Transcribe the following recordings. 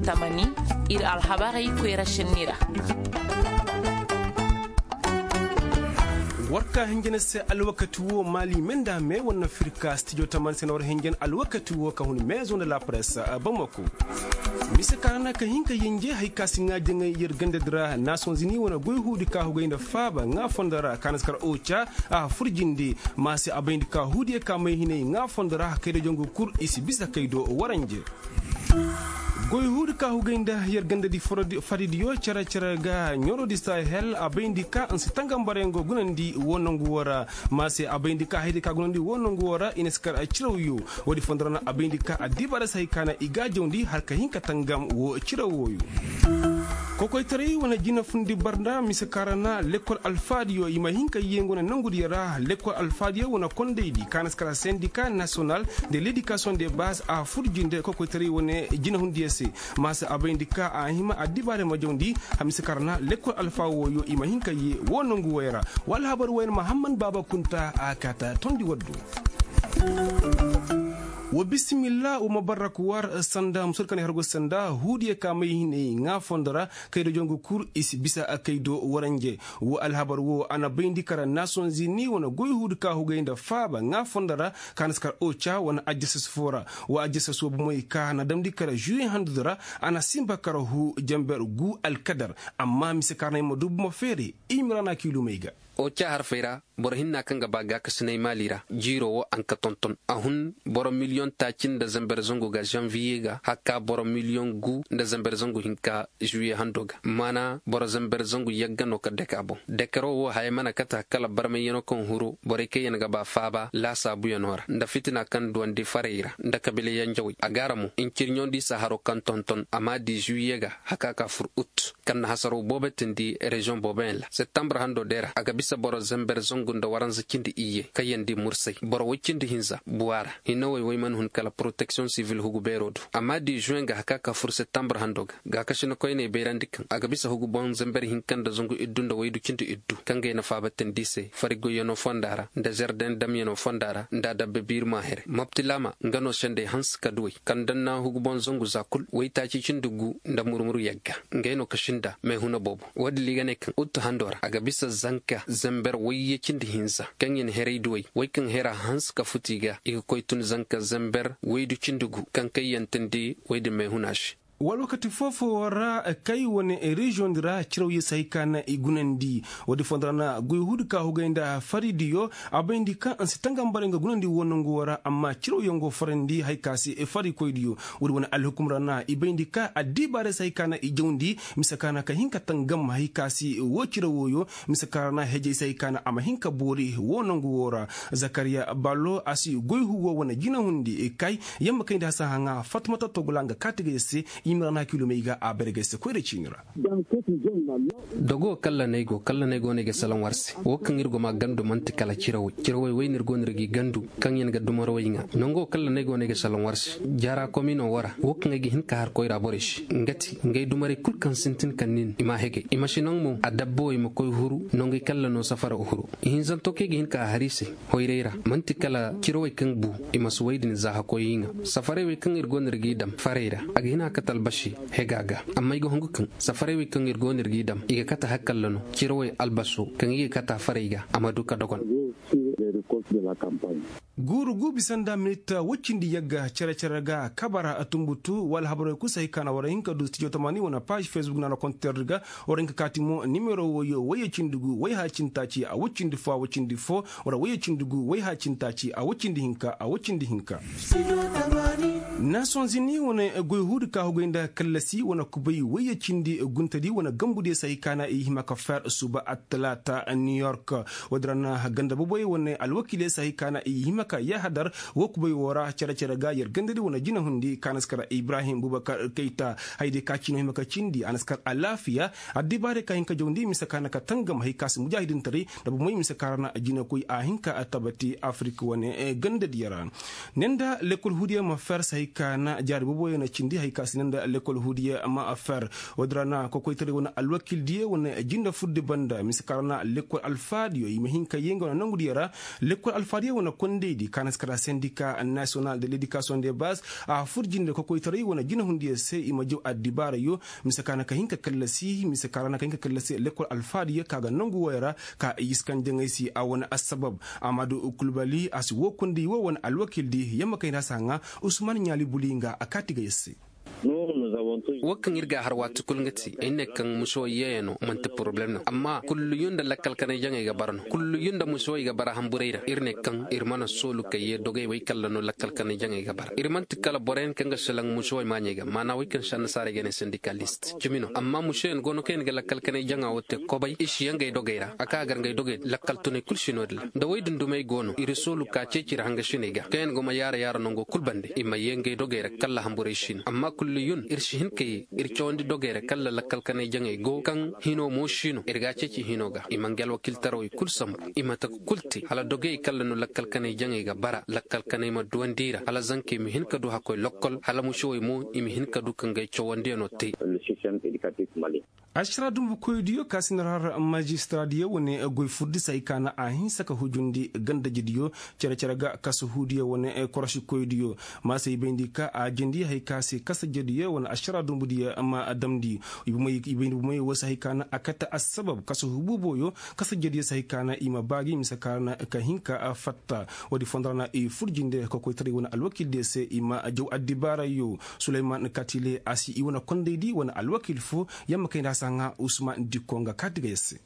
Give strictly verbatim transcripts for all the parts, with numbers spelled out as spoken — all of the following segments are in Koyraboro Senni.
Tamani, ir alhabarey koyra šenni ra. War ka hinjina se alwakati wo maali me nda me wane na firka stijo tamani se na war hinjina alwakati wo ka hun mezo nda la presse. Bamako mise ka ra na ka hin ka yenje hari ka si ŋaa jaŋay yer ganda di ra nason zini wane goy huudi ka hugay nda faaba ŋaa fondo ra ka na si kar oca a fur jinde. Ma se a bayndi ka huudiyo ka may hinay ŋaa fondo ra kay da jongu kul i si bisa kay do waranje. Goy huudi ka hugay nda yer ganda di faridiyo cere cere ga ɲorodi sahel a bayndi ka nsi tangambaray ngo gunandi wo nongu wo ra. Ma se a bayndi ka haydi ka gunandi wo nongu wo ra i na si kar cirawyo. Woodi fondo ra na a bayndi ka addibaray se hay ka na i gaajawndi har ka hin ka tangam wo cirawooyo. Kokoytaray wane jina fundi barnda mise ka ra na lekkol alfaadiyo i ma hin ka yee nga wane nongudiyo ra lekkol alfaadiyo wane kondaydi ka na si kar sendika nasiyonal de ledikasiyoŋ de baaz a fur jinde kokoytaray wane jinahundiyo se. Ma se a bayndi ka a hima addibaare ma jawndi. Hamisa karana lekkol alfaa wooyo i ma hin ka yee woo nongu woy ra. Wa alhabar woy ra mahamman baaba kunta a kaata tondi waddu. Wa bisimilla wa mabarak war sanda musur kane hargo sanda huudiye ka may hinay ŋaa fondo ra kaydo jongu kul i si bisa kaydo waranje. Wa alhabar woo a na bayndi kara nason zini wane goy huudi ka hugay nda faaba ŋaa fondo ra ka na si kar oca wane ajjasas foo ra. Wa ajjasas woo bomoy ka na damndi kara žuwe handudi ra. A na sinba kara huu jenber guu alkadar. Amma mise ka ra na ay ma du bomo feere. I ma ra na kiilumey ga. Oca harfey ra boro hinna kaŋ ga ba gaakasinay maali ra jiiroo woo a na ka tonton a hun boro miliyoŋ taaci nda zenber zangu ga žanviye ga hakka boro miliyoŋ guu nda zenber zangu hinka žuwiye hando ga maana boro zenber zangu yagga no ka deka boŋ. Dekeroo woo haya mana kate kala barmayyanoo kaŋ huru borey kaŋyaŋ ga ba faaba laasaabuyanoo ra nda fitina kaŋ duwandi farey ra nda kabiila yanjawey a ga a ra mo ncirɲoŋ di saharoo kaŋ tonton a m'a di žuwiye ga haka ka fur ut kaŋ na hasaroo boobo tindi reziyoŋ booboyaŋ ra septambur handoo day ra a ga bisa boro zenber zangu nda waranza cindi iyye kaŋyaŋ di mursay boro woy cindi hinza buwaa ra hinawey woy mana hun kala poroteksiyoŋ sivil hugu beeroo do a m'a di žuweŋ ga haka ka fur septambur handoo ga gaakasina koyney bayrandi kaŋ a ga bisa hugu boŋ zenber hinka nda zangu iddu nda waydu cindi iddu kaŋ gay na faaba tindi se fari goyyanoo fonda ra nda zerden damyanoo fonda ra nda adabba biirima here moptilaama nga no sendey hanse ka duwey kaŋ danna hugu boŋ zangu za kul waytaaci cindi gu nda murmur yagga ngey no ka sinda meehuna boobo woodin ra i ga ne kaŋ ut hando ra a ga bisa zanka zenber wayye cindi hinza kaŋ i na heray duwey wey kaŋ hera hanse ka futu i ga i ga koy tun zanka zenber waydu cindi gu kaŋ kayyantandi wey din meehuna se. Wala wakati foo-foo ra kay wane reziyoŋ di ra cirawyey si hay ka na i gunandi. Woodi fondo ra na goy huudi ka hugay nda faridiyo a bayndi ka nsi tangambaray nga gunandi woo nangu woo ra amma cirawyaŋ go farandi hay ka se farikoydiyo. Woodi wane alhukum ra na i bayndi ka addibaaray si hay ka na i jawndi mise ka na ka hin ka tangam hay ka se woo cirawooyo. Mise ka ra na hejey si hay ka na a ma hin ka boori woo nangu woo ra. Zakariya ballo a si goy huwoo wane jinahundi kay yamma kayndi hasa haŋa fatmata togula nga kaati ga yer se. I ma ra na kiilumey ga a bare ga yer se koyra ciini ra. Dogo kalla no ay go kalla no ay go no ay ga salaŋ war se woo kaŋ ir go ma gandu man'ti kala cirawey cirawey woy no ir go no ir g'i gandu kaŋ yaŋ ga dumarawey ŋaa nango kalla no ay go no ay ga salaŋ war se. Jaara komino woo ra woo kaŋ ay ga hin ka har koyra borey se nga ti ngey dumarey kul kaŋ sintin kaŋ nin i m'a hegay i ma si naŋ mo adabbawey ma koy huru nongey kalla no safara huru. Ihinzanto kaŋ ay ga hin ka a har i se hoyray ra man'ti kala cirawey kaŋ bu i ma si wey din za hakkoy i ŋaa safaray wey kaŋ ir go no ir g'i dam farey ra a ga hin a kate albasi hega ga. Amma ay ga hungu kaŋ safaray wey kaŋ ir go no ir g'i dam i ga kate hakalla no cirawey albaso kaŋ i ga kate a farey ga a ma du ka dogon. Guuru gu bisa nda minit woy cindi yagga cere-cere ga kabara tumbutu wala habarey kul si hay ka na war hin ka du stijo tamani wane paaž fesbuk nda na konter di ga. War hin ka kaati mo nimero woyo woy cindi gu woy haacintaaci a woy cindi fo a woy cindi fo wala woy cindi gu woy haacintaaci a woy cindi hinka a woy cindi hinka. Nason zini wane goy huudi ka hugay nda kallasi wane kubay woy cindi guntadi wane gambudiyo si hay ka na i hima ka fer suba attalaata new york. Woodi ra na ganda boboy wane alwakiiley si hay ka na i hima ka yahadar woo kubay woo ra cere-cere ga yer gandadi wane jinahundi ka na si kar ibrahim bubakar kayta. Hayadiyo ka ciino hima ka cindi a na si kar alaafiya. Addibaarey ka hin ka jawndi mise ka na ka tangam hay ka si mujaahidintaray nda bomey mise ka ra na jinakoy a hin ka tabati afirik wane gandadiyo ra. Ne nda lekkol huudiyo ma fer si hay Ka na jaari booboyaŋ na cindi hari ka si naŋ nda lekkol huudiya ma a fer. Woodin ra na kokoytaray wane alwakildiyo wane jinde furdi banda mise ka ra na lekkol alfaadiyo i ma hin ka yee nga wane nongudiyo ra. Lekkol alfaadiyo wane kondaydi ka na si kara sendika nasiyonal de ledikasiyoŋ de baz a fur jinde kokoytaray wane jinehundiyo se i ma jaw addibaarayo. Mise ka na ka hin ka kallasi mise ka ra na ka hin ka kallasi lekkol alfaadiyo ka ga nongu woy ra. Ka i iskan jaŋay se a wane assabab. Amadu kulbali a si woo konday woo wane alwakildi yamma kay nda a si haŋa. Usman ɲaali buli nga a kaati ga yar se. Woo kaŋ ir ga a har waati kul nga ti ay ne kaŋ musoy yeeyanoo man'ti poroblem no amma kulliyu nda lakkal kanay jaŋay ga bara no kulliyu nda musoy ga bara hamburay ra ir ne kaŋ ir mana soolu ka yee dogey wey kalla no lakkal kanay jaŋay ga bara ir man'ti kala boroyaŋ kaŋ ga salaŋ musoy maaɲey ga maana wey kaŋ se annasaarey ga ne sendikalisti cimi no amma musoyaŋ go no kaŋ yaŋ ga lakkal kanay jaŋa woo te kobay i si yee ngey dogey ra a ka gar ngey dogey lakkal tunay kul si no- din ra nda wey dundumey go no ir soolu ka ceeci ir hangasiney ga kaŋ yaŋ go ma yaara yaara nongo kul bande i ma yee ngey dogey ra kalla hamburay si no amma kulliyun ir si hin ka yee ir cawandi dogey ra kalla lakkal kanay jaŋey go kaŋ hino mo si no ir ga a ceeci hino ga i ma ngi alwakiltarawey kul sambu i ma taka kul te hala dogey kalla no lakkal kanay jaŋey ga bara lakkal kanay ma duwandi i ra hala zankey ma hin ka du hakkoy lokkol hala musowey mo i ma hin ka du ka ngey cawandiyanoo te. Ašara dumbukoydiyo ka si na har majistaadiyo wane goy furdi se hay ka na a hinsa ka hujundi gandajediyo cere-cere ga kasu huudiyo wane korosikoydiyo. Ma se i bayndi ka a jindi hay ka se kasajediyo wane ašara dumbudiyo ma damndi. I bayndi bomey woo se hay ka na a kate assabab kasu hubuuboyo kasajediyo se hay ka na i ma baa gi mise ka ra na ka hin ka fatta. Woodi fondo ra na i fur jinde kokoytaray wane alwakildiyo se i ma jaw addibaarayo. Suleyman katile a si i wane kondaydi wane alwakil foo. Yamma kay nda a si haŋa usman dikko nga kaati ga yar se.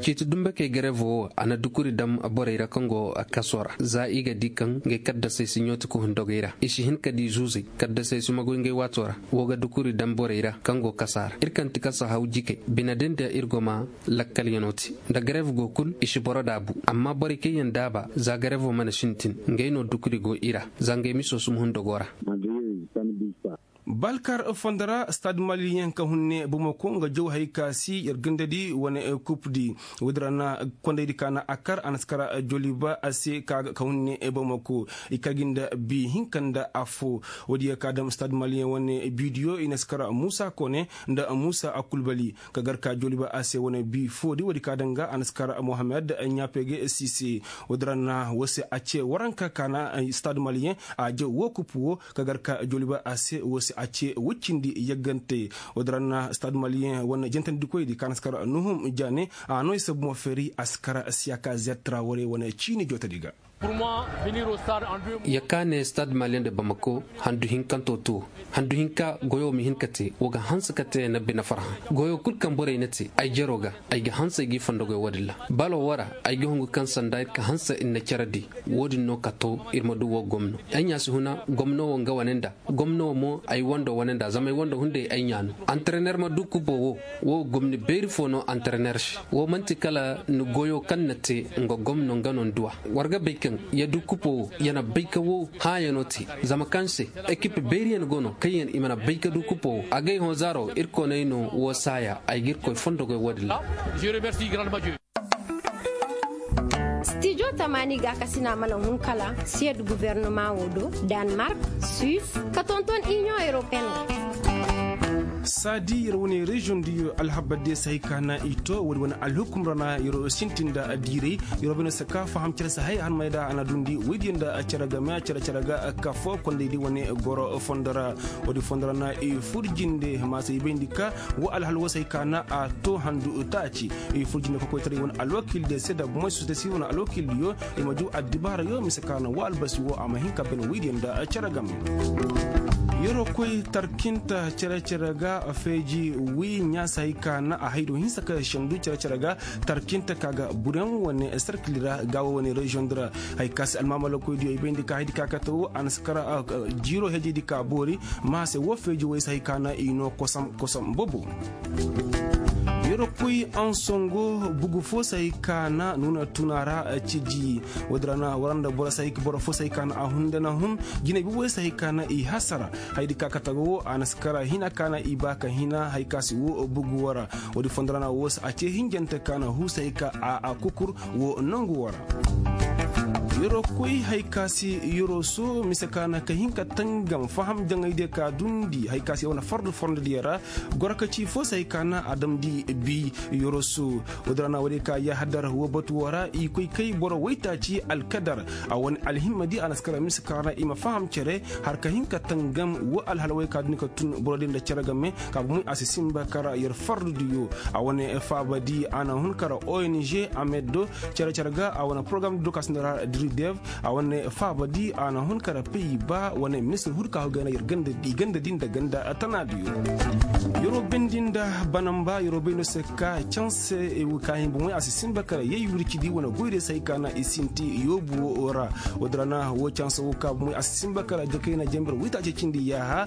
Ciiti dumbakey garevo woo a na dukuri dam borey ra kaŋ go kasoo ra za i ga di kaŋ ngey kaddasey si ɲooti ka hun dogey ra i si hin ka di zuuzey kaddasey si magoy ngey waatoo ra. Woo ga dukuri dam borey ra kaŋ go kasaa ra ir kaŋ ti kasa haw jikey bine din da ir go ma lakkalyanoo te nda garev go kul i si boro daabu amma borey kaŋ yaŋ daaba za garevoo mana sintin ngey no dukuri go i ra. Za ngey miso si ma hun dogoo ra. Balkar fondo ra stad maliyeŋ ka hun ne bamako nga jaw hay ka si yer gandadi wane kupdi. Woodin ra na kondaydi ka na a kar a na si kar joliba a se ka hun ne bamako i kar gi nda bi hinka nda affoo. Woodi ya ka dam stad maliyeŋ wane bidiyo i na si kar muusa kone nda muusa akulbali ka gar ka joliba a se wane bi foodi woodi ka danga a na si kar mohammed ɲaapege sise. Woodin ra na woo se a ce waranka ka na stad maliyeŋ a jaw woo kupu woo ka gar ka joliba a se woo se a ce woy cindi yaggante. Woodin ra na stad maliyeŋ wane jantandikoydi ka na si kar nuhum jaane a no i sabu mo feeri a si kar siyaka zertra warey wane ciini jootadi ga. Ya ka ne stad maliyeŋ nda bamako handu hinkantoo too handu hinka goyoo ma hin ka te woo ga hanse ka te na bine farhã. Goyoo kul kaŋ borey na te ay jeroo ga ay ga hanse ay g'i fondo goy woodin ra. Baloo woo ra ay ga hungu kaŋ sanda ir ka hanse ir na cere di. Woodin no ka too ir ma du woo gomno ay ɲaa si huna gomno woo nga wane nda gomno woo mo ay wando wane nda zama ay wando hunday ay ɲaa no. Antrener ma du kuboo woo woo gomni beeri foo no antrener se. Woo man'ti kala ni goyoo kaŋ na te nga gomno nga no ni du a. War ga bay kaŋ ya du kupoo woo ya na bay ka woo hãayanoo te. Zama kaŋ se ekip beeriyaŋ go no kaŋyaŋ i mana bay ka du kupoo woo agay hõ zaaro irkoy no ay no woo saaya ay ga irkoy fondo goy woodin ra. Stijo tamaani gaakasina mana hun kala siyed guvernoma woo do, danmark, suis, ka tonton iniyoŋ europeen ra. Saadi yer wane reziyoŋ diyo alhabaddiyo se hay ka na i to woodi wane alhukum ra na yer sintin nda diiray. Yer bine se ka faham cere se hay a hanmay nda a na dundi woydiyo nda cere game cere cere ga kafo kondaydi wane goro fondo ra. Woodi fondo ra na i fur jinde ma se i bayndi ka woo alhal woo se hay ka na a to handu taaci. I fur jinde kokoytaray wane alwakildiyo se nda moy sosiyete sivil wane alwakildiyo i ma juu addibaarayo mise ka na woo albasi woo a ma hin ka bene woydiyo nda cere game. Yeroo koy tarkinta cere cere ga feeji wi ɲaasa hay ka na a haydo hinsa ka sendu cere cere ga tarkinta ka ga bureŋ wane serkil ra gaawo wane reziyoŋ di ra. Hay ka se almaamalakoydiyo i bayndi ka haydi ka kate woo a na si kara jiiroo heejaydi ka boori. Ma se woo feeji woy se hay ka na i noo kosam kosam bobo. Yeroo koy ansongo bugu foo se hay ka na nuuna tuna ra ciji. Woodin ra na war nda boro se hay ka boro foo se hay ka na a hun nda na hun jinay boboyo se hay ka na i hasara. Haydi ka kate ga woo a na si kara hina ka na i ba ka hina hay ka se woo bugu woo ra. Woodi fondo ra na woo se a ce hinjante ka na huu se hay ka a kukur woo nongu woo ra. Yeroo koy hay ka se yeroo soo mise ka na ka hin ka tangam faham jaŋay diyo ka dundi hay ka se wane fardu fornodiyo ra. Goro ka ci foo se hay ka na a damndi bi yeroo soo. Woodin ra na woodey ka yaahadar woo batu woo ra i koy kay boro waytaaci alkadar a wane alhimma di a na si kara mise ka ra i ma faham cere har ka hin ka tangam woo alhalawey ka dundi ka tun boro din nda cere game. Ka bomoy a si sinba kara yer fardu diyo a wane faaba di a na hun kara ong amed do cere-cere ga a wane porogaram di do ka sinda ra diri dev a wane faaba di a na hun kara pey ba wane ministir huru ka hogay na yer ganda di nda ganda tana diyo. Yeroo bindi nda banamba yeroo bay no se ka canse ka hin bomoy a si sinba kara yay wirci di wane goydiyo se hay ka na i sinti yoobu woo ra. Woodin ra na woo canse woo ka bomoy a si sinba kara jakay na janbir waytaaci cindi yaaha.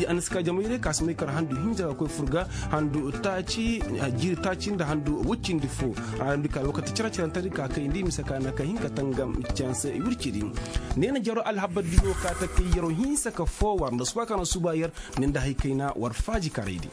A na si ka jamayray ka si may kara handu hinja ka koy fur ga handu taaci jiiri taaci nda handu woy cindi foo. A na di ka alwakati cere-cerentedi ka kayndi mise ka na ka hin ka tangam canse wircidi. Ne na jaro alhabar diyo ka ta kay yeroo hinsa ka foo war nda suba ka na suba yer. Ne nda hay kayna war faaji karaydi.